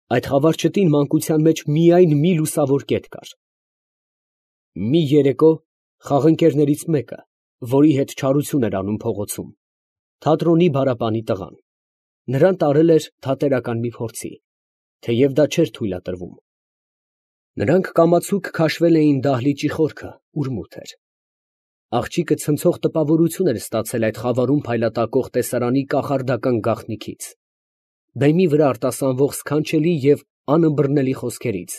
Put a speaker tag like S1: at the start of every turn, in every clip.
S1: Այդ խավարչտին մանկության մեջ միայն մի լուսավոր կետ կար։ Մի երեկո խաղընկերներից մեկը, որի հետ չարություն էր անում փողոցում, թատրոնի բարապանի տղան, նրան տարել էր թատերական մի փորձի, թեև դա չէր թույլատրվում։ Նրանք կամացուկ քաշվել էին դահլիճի խորքը, ուր մութ էր։ Աղջիկը ցնցող տպավորություն էր ստացել այդ խավարում փայլատակող տեսարանի կախարդական գաղտնիքից, բեմի վրա արտասանվող սքանչելի և անըմբռնելի խոսքերից,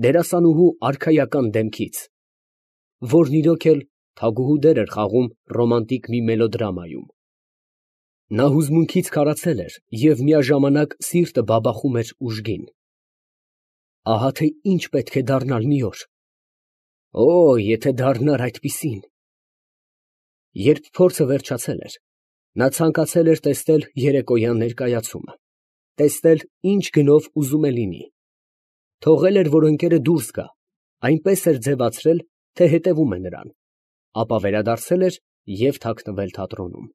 S1: դերասանուհու արքայական դեմքից, որն իրոք էլ թագուհու դեր էր խաղում ռոմանտիկ մի մելոդրամայում։ Նա հուզմունքից քարացել էր և միաժամանակ սիրտը բաբախում էր ուժգին։ Ահա թե ինչ պետք է դառնալ մի օր… Օ, եթե դառնար այդպիսին… Երբ փորձը վերջացել էր, նա ցանկացել էր տեսնել երեկոյան ներկայացումը, տեսնել ինչ գնով ուզում է լինի, թողել էր, որ ընկերը դուրս գա, այնպես էր ձևացրել, թե հետևում է նրան, ապա վերադարձել էր և թաքնվել թատրոնում։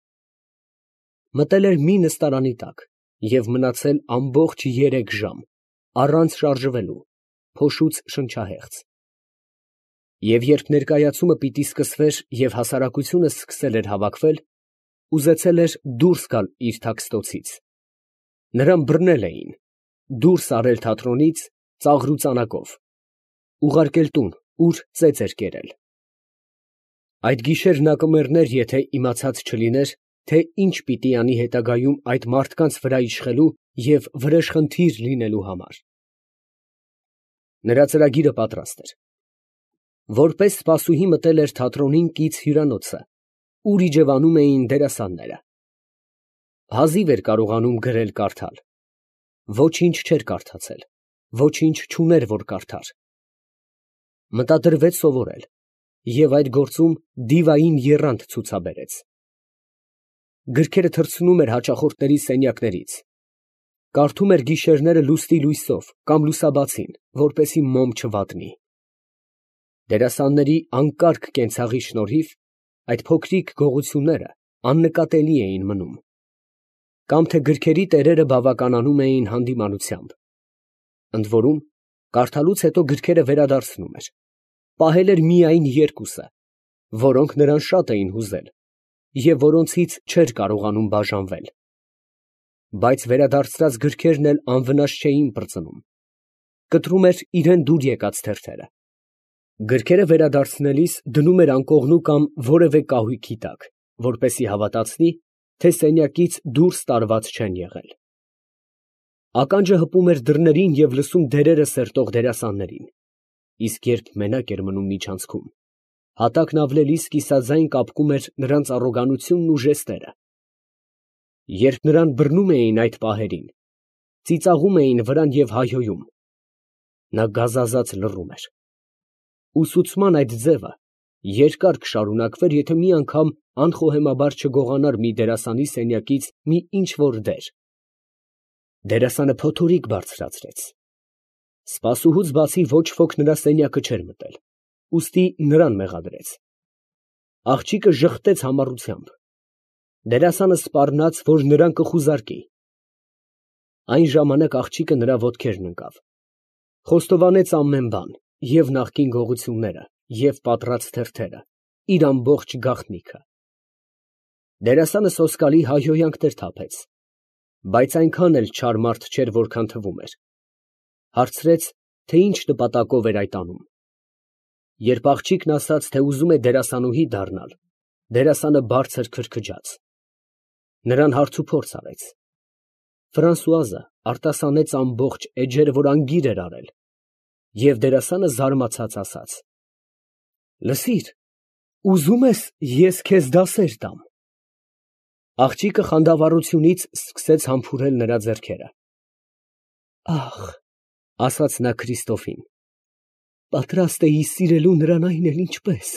S1: Մտել էր մի նստարանի տակ և մնացել ամբողջ 3 ժամ, առանց շարժվելու, փոշուց շնչահեղձ։ Եվ երբ ներկայացումը պիտի սկսվեր և հասարակությունը սկսել էր հավաքվել, ուզեցել էր դուրս գալ իր թաքստոցից։ Նրան բռնել էին, դուրս արել թատրոնից ծաղրուծանակով, ուղարկել տուն, ուր ծեծ էր կերել։ Այդ գիշեր նա կմեռներ, եթե իմացած չլիներ, թե ինչ պիտի անի հետագայում այդ մարդկանց վրա իշխելու և վրեժխնդիր լինելու համար։ Նրա ծրագիրը պատրաստ էր։ Որպես սպասուհի մտել էր թատրոնին կից հյուրանոցը, ուր իջևանում էին դերասանները։ Հազիվ էր կարողանում գրել֊կարդալ։ Ոչինչ չէր կարդացել, ոչինչ չուներ, որ կարդար։ Մտադրվեց սովորել և այդ գործում դիվային եռանդ ցուցաբերեց։ Գրքերը թռցնում էր հաճախորդների սենյակներից, կարդում էր գիշերները լուսնի լույսով կամ լուսաբացին, որպեսզի մոմ չվատնի։ Դերասանների անկարգ կենցաղի շնորհիվ այդ փոքրիկ գողությունները աննկատելի էին մնում, կամ թե գրքերի տերերը բավականանում էին հանդիմանությամբ։ Ընդ որում, կարդալուց հետո գրքերը վերադարձնում էր, պահել էր միայն 2-ը, որոնք նրան շատ էին հուզել և որոնցից չէր կարողանում բաժանվել։ Բայց վերադարձրած գրքերն էլ անվնաս չէին պրծնում, կտրում էր իրան դուր եկած թերթերը։ Գրքերը վերադարձնելիս դնում էր անկողնու կամ որևէ կահույքի տակ, որպեսզի հավատացնի, թե սենյակից դուրս տարված չեն եղել։ Ականջը հպում էր դռներին և լսում դերերը սերտող դերասաններին, իսկ երբ մենակ էր մնում միջանցքում, հատակն ավլելիս կիսաձայն կապկում էր նրանց առոգանությունն ու ժեստերը։ Երբ նրան բռնում էին այդ պահերին, ծիծաղում էին վրան և հայհոյում, նա գազազած լռում էր։ Ուսուցման այդ ձևը երկար կշարունակվեր, եթե մի անգամ անխոհեմաբար չգողանար մի դերասանի սենյակից մի ինչ֊որ դեր։ Դերասանը փոթորիկ բարձրացրեց։ Սպասուհուց բացի ոչ ոք նրա սենյակը չէր մտել, ուստի նրան մեղադրեց։ Աղջիկը ժխտեց համառությամբ։ Դերասանը սպառնաց, որ նրան կխուզարկի։ Այն ժամանակ աղջիկը նրա ոտքերն ընկավ, խոստովանեց ամեն բան, և նախկին գողությունները, և պատռած թերթերը, իր ամբողջ գաղտնիքը։ Դերասանը սոսկալի հայհոյանքներ թափեց, բայց այնքան էլ չար մարդ չէր, որքան թվում էր։ Հարցրեց, թե ինչ նպատակով էր այդ անում։ Երբ աղջիկն ասաց, թե ուզում է դերասանուհի դառնալ, դերասանը բարձր քրքջաց։ Նրան հարցուփորձ արեց։ Ֆրանսուազը արտասանեց ամբողջ էջերը, որ անգիր էր արել, և դերասանը զարմացած ասաց. «Լսիր, ուզում ես ես քեզ դասեր տամ»։ Աղջիկը խանդավառությունից սկսեց համբուրել նրա ձեռքերը։ «Ախ», ասաց նա Քրիստոֆին, «պատրաստ էի սիրելու նրան այն էլ ինչպես»։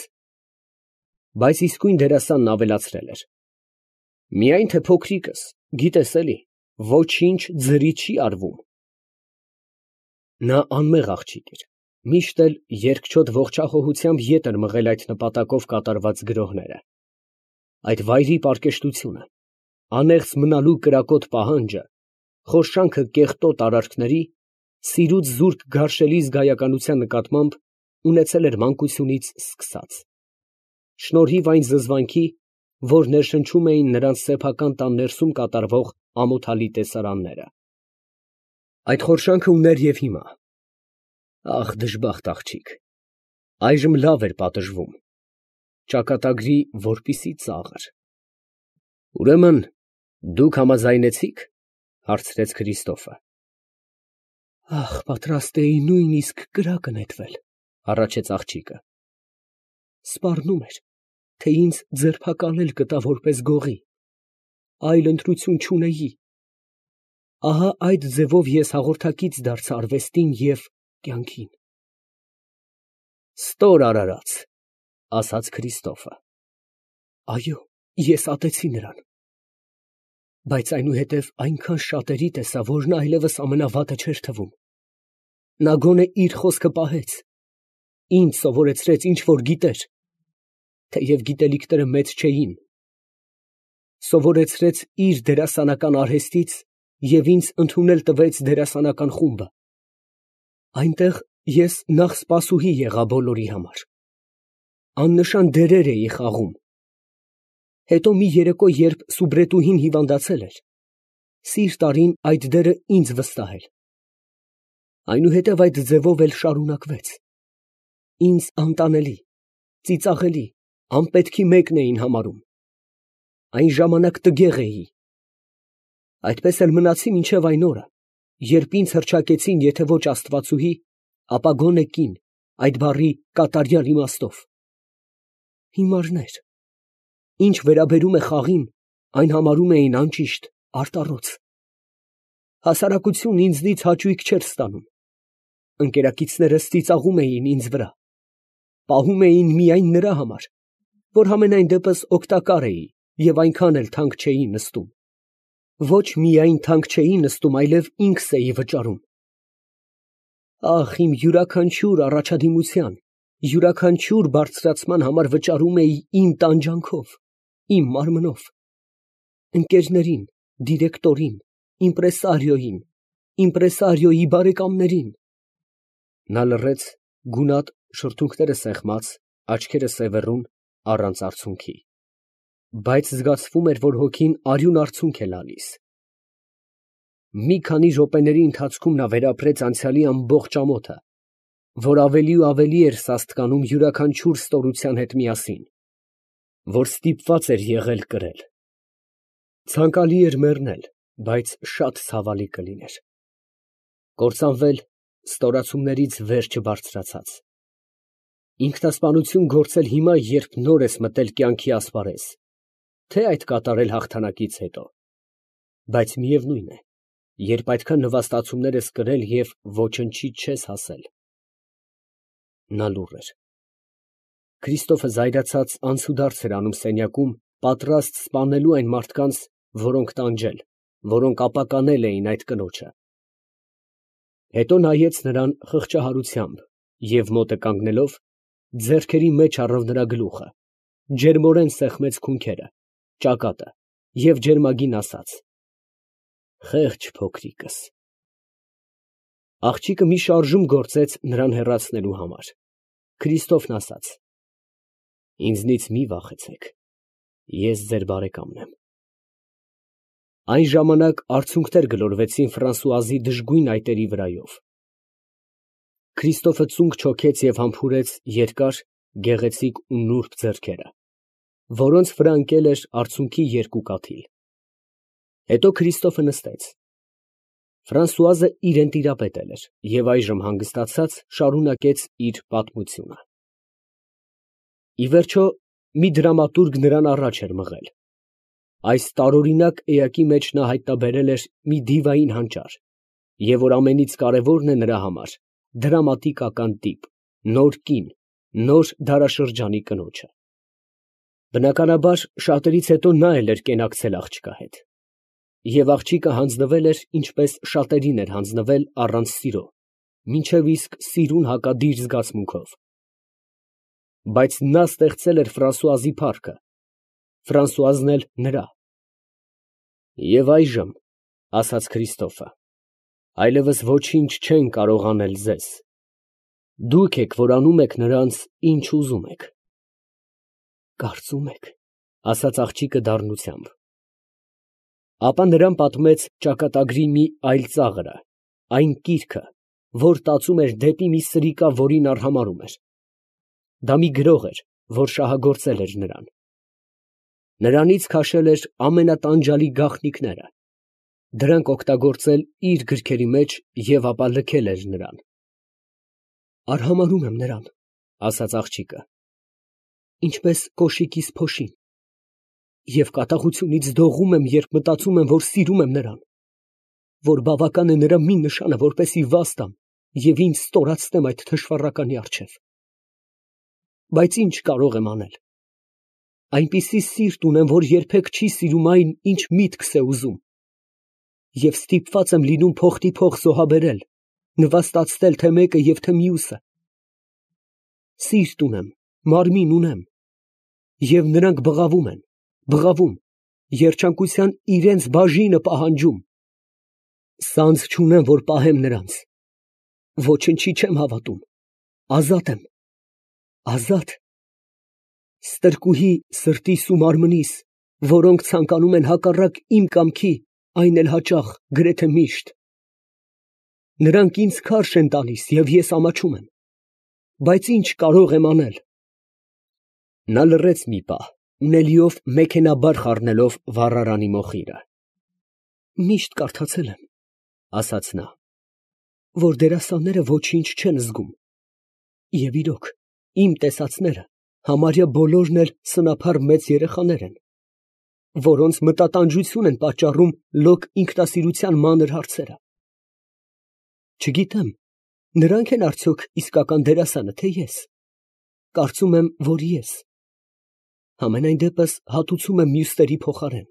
S1: Բայց իսկույն դերասանն ավելացրել էր. «Միայն թե փոքրիկս, գիտես էլի, ոչինչ ձրի չի արվում»։ Նա անմեղ աղջիկ էր, միշտ էլ երկչոտ ողջախոհությամբ ետ էր մղել այդ նպատակով կատարված գրոհները։ Այդ վայրի պարկեշտությունը, անեղծ մնալու կրակոտ պահանջը, խորշանքը կեղտոտ արարքների Սիրուց զուրկ գարշելի զգայականության նկատմամբ ունեցել էր մանկությունից սկսած, շնորհիվ այն զզվանքի, որ ներշնչում էին նրանց սեփական տան ներսում կատարվող ամոթալի տեսարանները։ Այդ խորշանքը ուներ և հիմա։ Ախ, դժբախտ աղջիկ, այժմ լավ էր պատժվում, ճակատագրի որպիսի ծաղր։ Ուրեմն դուք համաձայնեցի՞ք, հարցրեց Քրիստոֆը։ Ախ, պատրաստ էի նույնիսկ կրակը նետվել, հառաչեց աղջիկը։ Սպառնում էր, թե ինձ ձերբակալել կտա որպես գողի, այլ ընտրություն չունեի։ Ահա այդ ձևով ես հաղորդակից դարձա արվեստին և կյանքին։ Ստոր արարած, ասաց Քրիստոֆը։ Այո, ես ատեցի նրան։ Բայց այնուհետև այնքան շատերի տեսա, որ նա այլևս ամենավատը չէր թվում։ Նա գոնե իր խոսքը պահեց, ինձ սովորեցրեց ինչ որ գիտեր, թեև գիտելիքները մեծ չէին, սովորեցրեց իր դերասանական արհեստից և ինձ ընդունել տվեց դերասանական խումբը։ Այնտեղ ես նախ սպասուհի եղա բոլորի համար, աննշան դերեր էի խաղում։ Հետո մի երեկո, երբ սուբրետուհին հիվանդացել էր, սիրտ արին այդ դերը ինձ վստահել։ Այնուհետև այդ ձևով էլ շարունակվեց։ Ինձ անտանելի, ծիծաղելի, անպետքի մեկն էին համարում։ Այն ժամանակ տգեղ էի։ Այդպես էլ մնացի մինչև այն օրը, երբ ինձ հռչակեցին եթե ոչ աստվածուհի, ապա գոնե կին, այդ բառի կատարյալ իմաստով։ Հիմարներ, ինչ վերաբերում է խաղին, այն համարում էին անճիշտ, արտառոց։ Հասարակությունն ինձնից հաճույք չէր ստանում։ Ընկերակիցներս ծիծաղում էին ինձ վրա, պահում էին միայն նրա համար, որ համենայն դեպս օգտակար էի և այնքան էլ թանկ չէի նստում։ Ոչ միայն թանկ չէի նստում, այլև ինքս էի վճարում։ Ախ, իմ յուրաքանչյուր առաջադիմության, յուրաքանչյուր բարձրացման համար վճարում էի իմ տանջանքով, իմ մարմնով։ Ընկերներին, դիրեկտորին, իմպրեսարիոյին, իմպրեսարիոյի բարեկամներին։ Նա լռեց, գունատ, շրթունքները սեղմած, աչքերը սևեռուն, առանց արցունքի, բայց զգացվում էր, որ հոգին արյուն արցունք է լալիս։ Մի քանի րոպեների ընթացքում նա վերապրեց անցյալի ամբողջ ամոթը, որ ավելի ու ավելի էր սաստկանում յուրաքանչյուր ստորության հետ միասին, որ ստիպված էր եղել կրել։ Ցանկալի էր մեռնել, բայց շատ ցավալի կլիներ։ Կործանվել ստորացումներից վերջը բարձրացած։ Ինքնասպանություն գործել հիմա, երբ նոր ես մտել կյանքի ասպարեզ, թե այդ կատարել հաղթանակից հետո։ Բայց միևնույն է, երբ այդքան նվաստացումներ ես կրել և ոչնչի չես հասել։ Նա լուռ էր։ Քրիստոֆը զայրացած անցուդարձ էր անում սենյակում, պատրաստ սպանելու այն մարդկանց, որոնք տանջել, որոնք ապականել էին այդ կնոջը։ Հետո նայեց նրան խղճահարությամբ և մոտը կանգնելով, ձեռքերի մեջ առավ նրա գլուխը, ջերմորեն սեղմեց քունքերը, ճակատը և ջերմագին ասաց. «Խեղճ փոքրիկս»։ Աղջիկը մի շարժում գործեց նրան հեռացնելու համար։ Քրիստոֆն ասաց. «Ինձնից մի վախեցեք, ես ձեր բարեկամն եմ»։ Այն ժամանակ արցունքներ գլորվեցին Ֆրանսուազի դժգույն այտերի վրայով։ Քրիստոֆը ծունկ չոքեց և համբուրեց երկար, գեղեցիկ ու նուրբ ձեռքերը, որոնց վրա ընկել էր արցունքի երկու կաթիլ։ Հետո Քրիստոֆը նստեց։ Ֆրանսուազը իրան տիրապետել էր և այժմ հանգստացած շարունակեց իր պատմությունը։ Ի վերջո, մի դրամատուրգ նրան առաջ էր մղել։ Այս տարօրինակ էակի մեջ նա հայտնաբերել էր մի դիվային հանճար, և որ ամենից կարևորն է նրա համար, դրամատիկական տիպ, նոր կին, նոր դարաշրջանի կնոջը։ Բնականաբար, շատերից հետո նա էլ էր կենակցել աղջկա հետ։ Եվ աղջիկը հանձնվել էր, ինչպես շատերին էր հանձնվել առանց սիրո, մինչև իսկ սիրուն հակադիր զգացմունքով։ Բայց նա ստեղծել էր Ֆրանսուազի փառքը, Ֆրանսուազն էլ նրա։ Եվ այժմ, ասաց Քրիստոֆը, Այլևս ոչինչ չեն կարող անել ձեզ. դուք եք, որ անում եք նրանց, ինչ ուզում եք։ Կարծում եք, ասաց աղջիկը դառնությամբ։ Ապա նրան պատմեց ճակատագրի մի այլ ծաղրը, այն կիրքը, որ տածում էր դեպի մի սրիկա, որին արհամարհում էր։ Դա մի գրող էր, որ շահագործել էր նրան։ Նրանից քաշել էր ամենատանջալի գաղտնիքները, դրանք օգտագործել իր գրքերի մեջ և ապա լքել էր նրան։ Արհամարհում եմ նրան, ասաց աղջիկը, ինչպես կոշիկիս փոշին, և կատաղությունից դողում եմ, երբ մտածում եմ, որ սիրում եմ նրան, որ բավական է նրա մի նշանը, որպեսզի վազ տամ և ինձ ստորացնեմ այդ թշվառականի առջև։ Բայց ինչ կարող եմ անել։ Այնպիսի սիրտ ունեմ, որ երբեք չի սիրում այն, ինչ միտքս է ուզում, և ստիպված եմ լինում փոխտի փոխ զոհաբերել, նվաստացնել թե մեկը և թե մյուսը։ Սիրտ ունեմ, մարմին ունեմ, և նրանք բղավում են, բղավում, երջանկության իրենց բաժինը պահանջում։ Սանձ չունեմ, որ պահեմ նրանց, ոչնչի չեմ հավատում, ազատ եմ, ազատ, ստրկուհի սրտիս ու մարմնիս, որոնք ցանկանում են հակառակ իմ կամքի, այն էլ հաճախ, գրեթե միշտ։ Նրանք ինձ քարշ են տալիս, և ես ամաչում եմ, բայց ինչ կարող եմ անել։ Նա լռեց մի պահ, ունելիով մեքենայաբար խառնելով վառարանի մոխիրը։ Միշտ կարդացել եմ, ասաց նա, որ դերասանները ոչինչ չեն զգում, և իրոք, իմ տեսածները համարյա բոլորն էլ սնափառ մեծ երեխաներ են, որոնց մտատանջություն են պատճառում լոկ ինքնասիրության մանր հարցերը։ Չգիտեմ, նրանք են արդյոք իսկական դերասանը, թե ես։ Կարծում եմ, որ ես։ Համենայն դեպս հատուցում եմ մյուսների փոխարեն։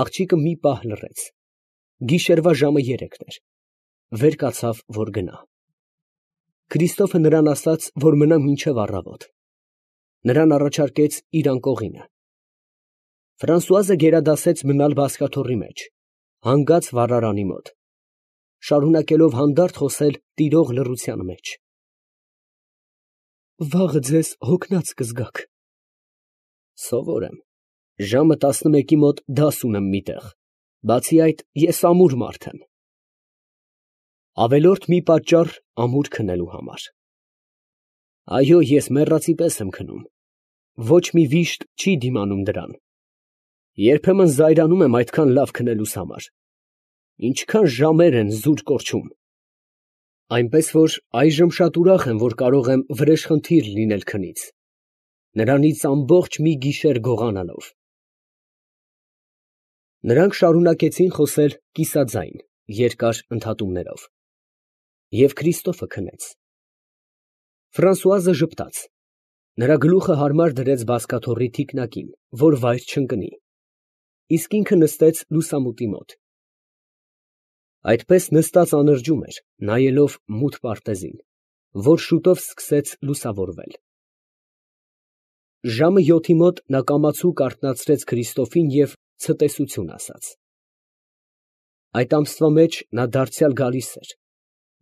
S1: Աղջիկը մի պահ լռեց։ Գիշերվա ժամը 3 էր։ Վեր կացավ, որ գնա։ Քրիստոֆը նրան ասաց, որ մնա մինչև առավոտ։ Նրան առաջարկեց իր անկողինը։ Ֆրանսուազը գերադասեց մնալ բազկաթոռի մեջ, հանգած վառարանի մոտ, շարունակելով հանդարտ խոսել տիրող լռության մեջ։ Վաղը ձեզ հոգնած կզգաք։ Սովոր եմ, ժամը 11-ի մոտ դաս ունեմ մի տեղ, բացի այդ, ես ամուր մարդ եմ։ Ավելորդ մի պատճառ ամուր քնելու համար։ Այո, ես մեռածի պես եմ քնում, ոչ մի վիշտ չի դիմանում դրան։ Երբեմն զայրանում եմ այդքան լավ քնելուս համար։ Ինչքան ժամեր են զուր կորչում։ Այնպես որ այժմ շատ ուրախ եմ, որ կարող եմ վրեժխնդիր լինել քնից, նրանից ամբողջ մի գիշեր գողանալով։ Նրանք շարունակեցին խոսել կիսաձայն, երկար ընդհատումներով։ Եվ Քրիստոֆը քնեց։ Ֆրանսուազը ժպտաց։ Նրա գլուխը հարմար դրեց բազկաթոռի թիկնակին, որ վայր չընկնի, իսկ ինքը նստեց լուսամուտի մոտ։ Այդպես նստած անրջում էր, նայելով մութ պարտեզին, որ շուտով սկսեց լուսավորվել։ Ժամը 7-ի մոտ նա կամացուկ արթնացրեց Քրիստոֆին և ցտեսություն ասաց։ Այդ ամսվա մեջ նա դարձյալ գալիս էր,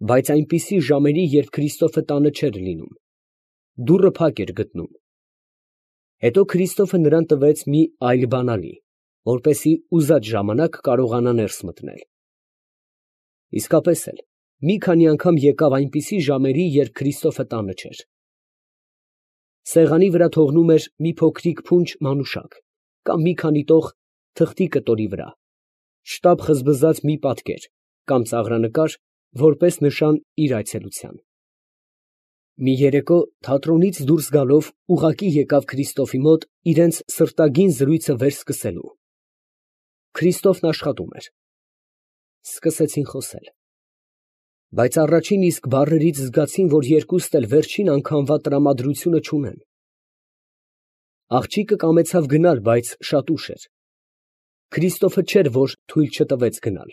S1: բայց այնպիսի ժամերի, երբ Քրիստոֆը տանը չէր լինում, դուռը փակ էր գտնում։ Հետո Քրիստոֆը նրան տվեց մի այլ բանալի, որպեսզի ուզած ժամանակ կարողանա ներս մտնել։ Իսկապես էլ, մի քանի անգամ եկավ այնպիսի ժամերի, երբ Քրիստոֆը տանը չէր։ Սեղանի վրա թողնում էր մի փոքրիկ փունջ մանուշակ կամ մի քանի տող թղթի կտորի վրա, շտապ խզբզած մի պատկեր կամ ծաղրանկար, որպես նշան իր այցելության։ Մի երեկո թատրոնից դուրս գալով ուղղակի եկավ Քրիստոֆի մոտ իրենց սրտագին զրույցը վերսկսելու։ Քրիստոֆն աշխատում էր։ Սկսեցին խոսել։ Բայց առաջին իսկ բառերից զգացին, որ երկուստ էլ վերջին անգամվա տրամադրությունը չունեն։ Աղջիկը կամեցավ գնալ, բայց շատ ուշ էր։ Քրիստոֆը չէր, որ թույլ չտվեց գնալ։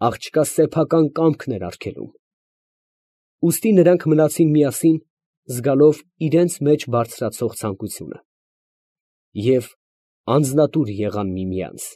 S1: Աղջկա սեփական կամքն էր արգելում։ Ուստի նրանք մնացին միասին, զգալով իրենց մեջ բարձրացող ցանկությունը, և անձնատուր եղան միմյանց։